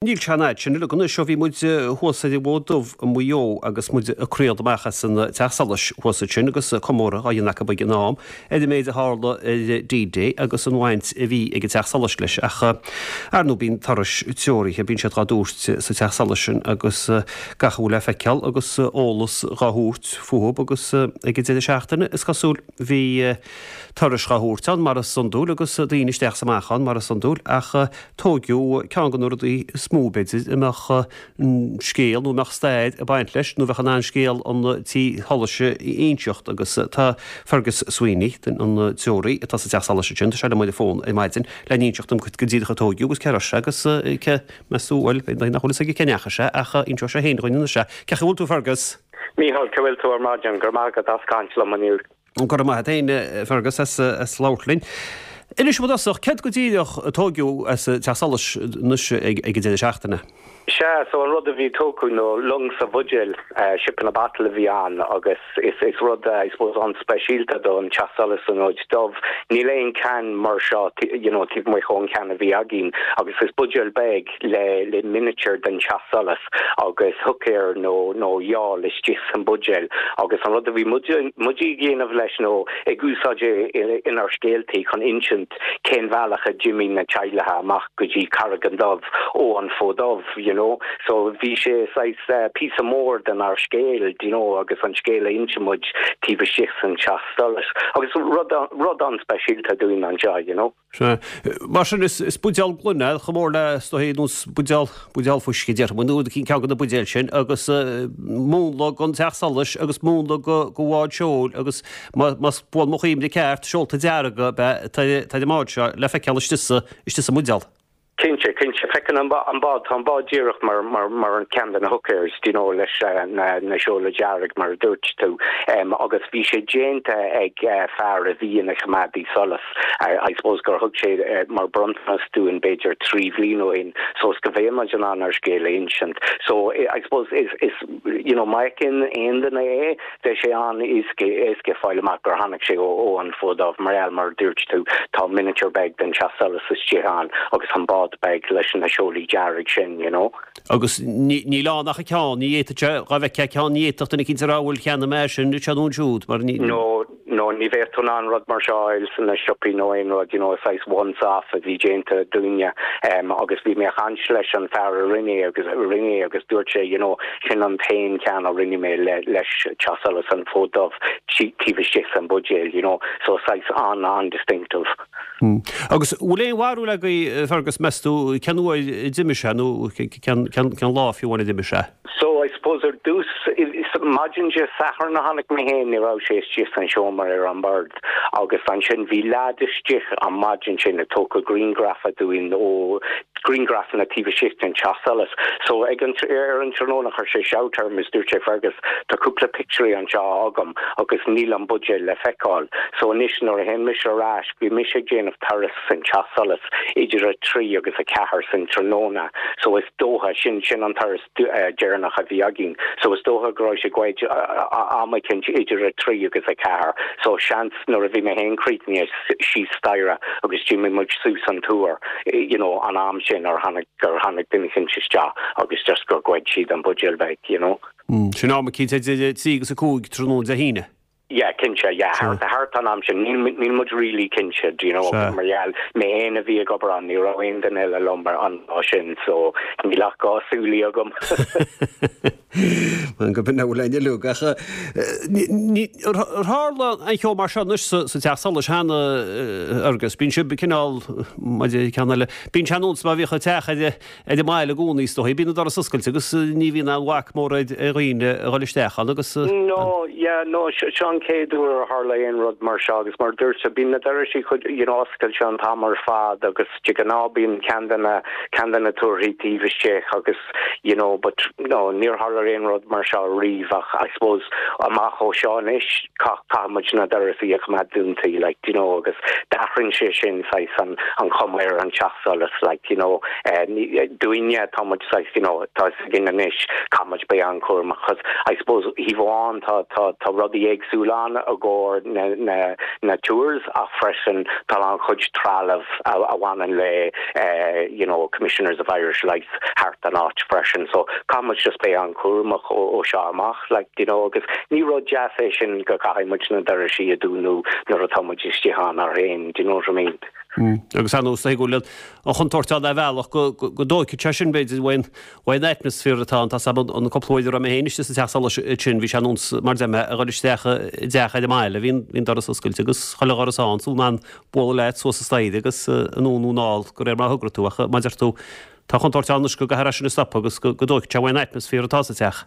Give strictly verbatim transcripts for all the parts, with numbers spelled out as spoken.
Níl sé an fhad sin uilig anois ó bhí muid thuas ar an bhFód Dubh i Maigh Eo agus muid ag craoladh amach as an Teach Solais thuas ansin agus comóradh á dhéanamh acu ag an am ar an méid a tharla ar D-Day agus an bhaint a bhí ag an Teach Solais leis. Ach ar ndóigh bíonn turais treoraithe, bíonn siad dhá dtabhairt sa Teach Solais sin agus gach a bhfuil le feiceáil agus eolas dhá thabhairt fúthu agus ag an deireadh seachtaine is cosúil bhí turais dhá thabhairt ann mar is iondúil agus daoine isteach is amach ann mar is iondúil ach tóigeadh ceann de na rudaí is mó b'fhéidir a mbeadh scéal nó mbeadh stair ag baint leis nó bheadh in ann scéal an tí solais a inseacht agus tá Fergus Sweeney an treoraí atá sa Teach Solais sin, tá sé liom ar an bhfón ar maidin le n-inseacht dom go díreach a tóigeadh agus cé raibh sé agus cé meas tú bhuel nach bhfuil fhios aige cé ndeachaigh sé ach inseoidh sé féin dhúinn anois é. Cén chaoi a bhfuil tú Fergus? Mícheál, cá bhfuil tú ar maidin, go raibh maith agat as caint liom inniu. Go raibh maith agat féin Fergus as as labhairt linn. Inis dom i dtosach, céard go díreach a tóigeadh as Teach Solais anois ag an deireadh seachtaine? Sea, so an rud a bhí tógtha ná long sa bhuidéal, ship in a bottle a bhí ann agus is is rud I suppose an-speisialta don Teach Solais san Fhód Dubh. Níl aon ceann mar seo you know, taobh amuigh ón ceann a bhí againn agus is buidéal beag le le miniature den Teach Solais agus hooker nó nó iall istigh san buidéal agus an rud a bhí muid ag déanamh leis nó ag úsáid é inár scéaltaí chun insint cén bhealach a d'imigh na teaghlaigh amach go dtí Carraig an Dubh ó an Fód Dubh, you know. So bhí sé saghas uh, píosa mór den ár scéal, you know, agus an scéal a insíonn muid taobh istigh san Teach Solais. Agus rud rud an-speisialta dúinn anseo, you know. Sea. Mar sin is, is buidéal gloine chomh mór le is dóigh nós buidéal buidéal fuisce déarfaidh muid nó ceann de na buidéil sin agus uh, múnla den Teach Solais agus múnla go go bhád seoil agus más buan mo chuimhne ceart seolta dearga be tá tá an bád seo le feiceáil istigh sa istigh sa mbuidéal. Cinnte, cinnte feiceann an an bád tá an bád díreach mar mar mar an ceann de na hookers, you know, leis uh, na na seola dearg mar a dúirt tú um, agus bhí sé déanta ag uh, fear a bhí ina choimeádaí solais. I, I suppose gur thug sé uh, mar bronntanas dúinn b'fhéidir trí bhliain ó shin so is go bhféadfaidh muid an ár scéal a insint. So I suppose is is you know má fheiceann aon duine é de sé an éasca éasca fáil amach gur tháinig sé ó ó an Fód Dubh mar el mar dúirt tú tá miniature beag den Teach Solais istigh ann agus an bád beag leis na seolaí dearg sin, you know. Agus níl ann ach ceann, ní fhéadfadh sé dá bhfeicfeá ceann ní fhéadfadh duine cinnte a rá bhfuil cheannaigh mé sin se nó siúd mar ní. No no ní bheadh tú an rud mar seo san na siopaí nó aon rud you know saghas once off a bhí déanta dúinne um, agus bhí mé ag caint leis an fear a rinne agus rinne agus dúirt sé you know sin an t-aon ceann a rinne mé le leis Teach Solais an Fód Dubh taobh istigh san buidéal you know so saghas an an distinctive. Hmm. Agus bhfuil aon bharúil agaibh Fergus meas tú cén uair a d'imigh sé nó cén lá fiú amháin a d'imigh sé? So I suppose ar dtús maidin Dé Sathairn a tháinig mé féin ní raibh sé istigh san seomra ar an bord agus ansin bhí leaid istigh an maidin sin ag tógáil grianghraf dúinn ó grianghrafanna taobh istigh den Teach Solais. So ag an ar an tráthnóna chuir sé shout orm is dúirt sé Fergus tá cúpla pictiúirí anseo agam agus níl an buidéal le feiceáil. So anois nuair a théann mise ar ais bhí mise ag déanamh turas san Teach Solais idir a trí agus a ceathair san tráthnóna. So is dócha sin sin an turas uh, deireanach a bhí againn. So is dócha go raibh sé goidte am éicint idir a trí agus a ceathair. So seans nuair a bhí mé féin críochnaithe síos staighre agus d'imigh muid suas an túr you know, an am sin ar tháinig gur tháinig duine éicint isteach agus just gur ghoid siad an buidéal beag, you know. Mm, sin am éicint idir trí agus a cúig tráthnóna Dé hAoine. Yeah, cinnte, yeah, thart thart an am sin níl níl muid really cinnte, do you know, mar gheall mé féin a bhí ag obair ann ní raibh aon duine eile liom ar an lá sin, so níl ach dhá súil agam. Man go bin bhfuil aine luach tharla an cheo mar seo anois sa Teach Solais cheana agus bíonn sibh cineál ceann eile. Bíonn sé nós má bhíodh an teach ar ar an mbaile i gcónaí is dóigh, bíonn na dorais oscailte agus ní bhíonn aon bhac mór ar dhaoine a dhul isteach ann agus No, yeah, no, seo an chéad uair a tharla aon rud mar seo agus mar dúirt bíonn na dorais you know, oscailte an t-am ar fad agus de ghnáth bíonn ceann de na ceann de na túrthaí taobh istigh agus you know, but no, níor tharla ar aon rud mar seo riamh ach I suppose amach ó seo anois caithfidh muid na doirse a choimeád dúnta like you know agus d'athraíonn sé sin saghas an an chuma ar an teach solais like you know uh, dúinne tá muid saghas you know tá againn anois caithfidh muid bheith an-chúramach cos I suppose taobh amháin tá tá tá rudaí éagsúla ann i gcomhair na na na tours ach freisin tá an-chuid trealamh a, a bhaineann le uh, you know commissioners of Irish Lights thart an áit freisin so caithfidh muid just bheith an-chúramach ó, ó seo amach like you know agus ní rud deas é sin go caithfidh muid na doirse a dúnadh nuair atá muid istigh ann féin do you know what I mean Mm. Agus an nós go an chontúirt ann ar bhealach go dtóigfeadh sé sin b'fhéidir uaidh an atmaisféar atá tá an cúpla uair a mé féin sa teach solais sin bhí sé nós mar de a dhul isteach i dteach ar an mbaile bhí bhí doras oscailte agus chuile dhoras ann sú an bualadh leat suas an staighre agus anonn nó anall de réir mar a thograigh tú ach mar a deir tú tá contúirt ann go gcaithfear sin a stop agus go dtóigfeadh sé uaidh an atmaisféar atá sa teach.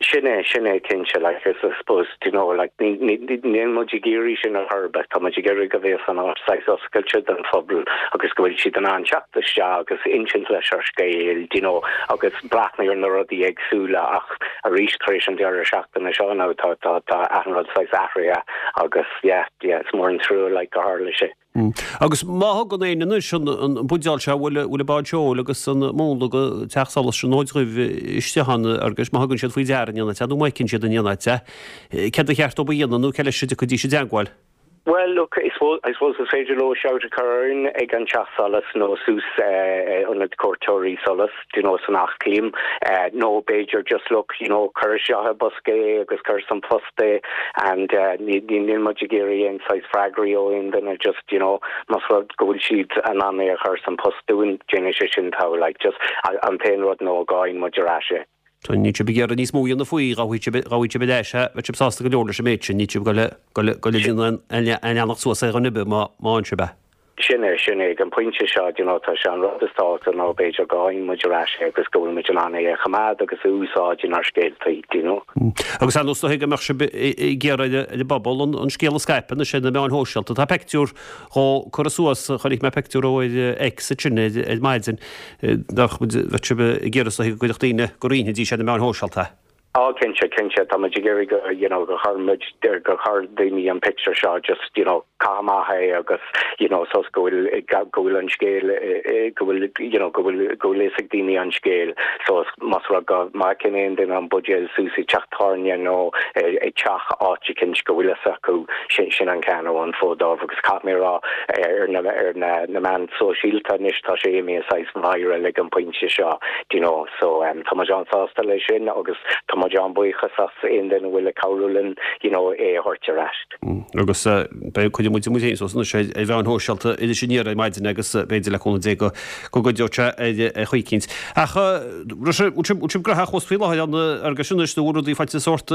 Sin é sin é cinnte like I suppose you know like níl muid ag iarraidh sin a chur tá muid ag iarraidh go bhfuil an áit saghas oscailte don phobal agus go bhfuil siad in ann teacht isteach agus insint leis ar scéal you know agus breathnú ar na rudaí éagsúla ach arís tar éis an deireadh seachtaine seo nó tá tá tá achan rud saghas athraithe agus yeah yeah it's mór an trua like go tharla sé. Mm. Agus má thugann éinne anois an buidéal seo bhfuil bhfuil bád seoil agus an múnla go teach solais an Fhóid Dhuibh istigh ann agus má thugann siad faoi deara an ionad nó má fheiceann siad an ionad céard ba cheart dóibh a dhéanamh nó cé leis a dtiocfaidís i dteagmháil. Well, look, I suppose, I suppose is féidir leo shout a chur ag an teach solais nó suas uh, ionad cuairteoirí solais you know, san Eachléim uh, nó b'fhéidir just look you know, cuir isteach i mbosca é agus cuir san post é and uh, níl muid ag iarraidh aon saghas freagraí ó aon duine just you know, más rud go bhfuil siad in ann é a chur san post dúinn déanfaidh sé sin tá like just an t-aon rud nó go bhfaighidh muid ar ais é. Tá ní sibh ag iarraidh níos mó a dhéanamh faoi ghabhfaidh sibh ar ais é bheadh sibh sásta go leor leis an méid sin ní sibh go go go le an leanacht suas ar an oibre má má an sibh. Sin é sin é an pointe seo you know, tá sé an rud is tábhachtaí ná b'fhéidir go bhfaighidh muid ar ais é agus go bhfuil muid in ann é a choimeád agus úsáid inár scéaltaí you know. Mm. Agus an nós go mbeadh sibh ag iarraidh ar an bpobal an scéal a scaipeadh na sin na meáin shóisialta. Tá pictiúr dhó curtha suas chonaic mé pictiúr ó X sin ar maidin nach bheadh sibh ag iarraidh go gcuirfeadh daoine go roinnfidís ar na meáin shóisialta. Á cinnte cinnte tá muid ag iarraidh go you know go gcuirfidh muid go gcuirfidh daoine an picture seo just you know caithfidh é agus you know sos go bhfuil go bhfuil an scéal go bhfuil you know go bhfuil go bhfuil ag daoine an scéal so más rud go má fheiceann aon duine an buidéal suas i teach tábhairne nó ag teach áit eicínt go bhfuil fhios acu sin sin an ceann ó an Fód Dubh agus caithfidh mé rá ar na ar na na meáin shóisialta anois tá sé imithe saghas viral ag an pointe seo you know so um, tá muid an-sásta leis sin agus tá muid an-bhuíoch as aon duine a bhfuil ag cabhrú linn you know é a thabhairt ar ais. Mm. Agus uh, beidh chuid muid muid féin suas sé ar mheáin shóisialta idir sin ar maidin agus b'fhéidir le cúnamh Dé go go gcuideoidh sé ar chaoi eicínt. Ach bhfuil sibh graitheach fós faoi láthair an agus sin is rudaí faighte sórt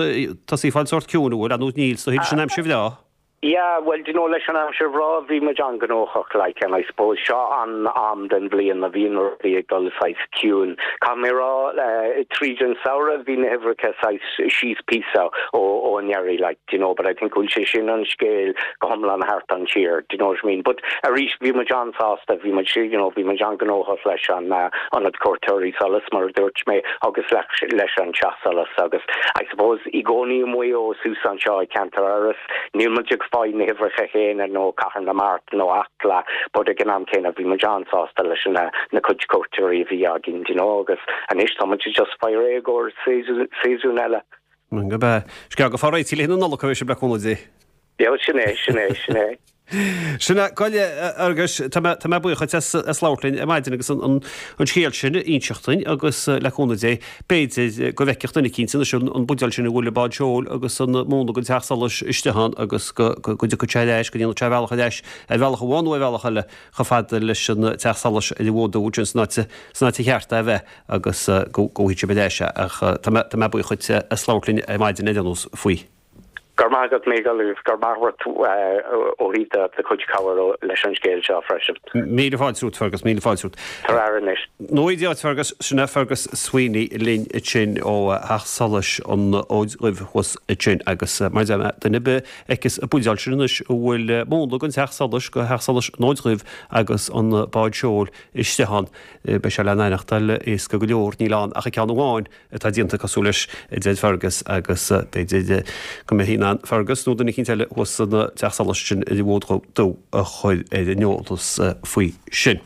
tá sí fáil sórt ciúin bhfuil an níl so sin aimsir bhreá. Yeah, well, do you know leis an aimsir bhreá bhí muid an-ghnóthach like and I suppose seo an am den bhliain a bhíonn rudaí ag dul saghas ciúin. Caithfidh mé rá uh, tríd an samhradh bhí na huimhreacha saghas síos píosa ó ó anuraidh like you know, but I think bhfuil sé sin an scéal go hiomlán thart an tír, do you know what I mean? But arís bhí muid an-sásta bhí muid you know, bhí muid an-ghnóthach leis an uh, ionad cuairteoirí solais mar dúirt mé agus leis, leis an teach solais agus I suppose i gcónaí amuigh ó suas anseo i ceantar Iorrais níl muid ag fáil na huimhreacha céanna nó Cathair na Mart nó Acla but ag an am céanna bhí muid an-sásta leis na na cuid cuairteoirí a bhí againn you know, agus anois tá muid just fáil réidh i gcomhair séasún eile. Go be Scéal go fá réití le na Nollag sé ble cúnamh Dé. Ja sin é sin é sin é. Sinna goile agus tá mé buíoch as as labhairt linn ar maidin agus an an scéal sin a inseacht dúinn agus le cúnamh Dé b'fhéidir go bhfeicfeadh duine eicínt sin an buidéal sin a bhfuil bád seoil agus an múnla den teach solais istigh ann agus go go dtiocfaidh sé ar ais go ndéanfaidh sé bealach ar ais ar bhealach amháin nó ar bhealach eile chomh fada leis an teach solais ar an bhFód Dubh sin san áit san áit cheart a bheith agus go go bhfaighidh sé ar ais ach tá mé buíoch as labhairt linn ar maidin ar nós faoi. Go raibh maith agat Mícheál agus go raibh maith agat ó thaobh do chuid cabhair leis an scéal seo freisin. Míle fáilte romhat Fergus, míle fáilte romhat. Tar anois. Nó Dia duit Fergus, sin é Fergus Sweeney linn ansin ó Theach Solais an Fhóid Dhuibh thuas ansin agus mar a deir mé duine ar bith a fheiceas an buidéal sin anois a bhfuil múnla den Teach Solais go Theach Solais an Fhóid Dhuibh agus an bád seoil istigh ann beidh sé le n-aithneachtáil éasca go leor, níl ann ach an ceann amháin atá déanta cosúil leis a deir Fergus agus b'fhéidir go mbeifí in ann Fergus nó duine eicínt eile thuas san teach solais sin ar an bhFód Dubh a chur ar an eolas faoi sin.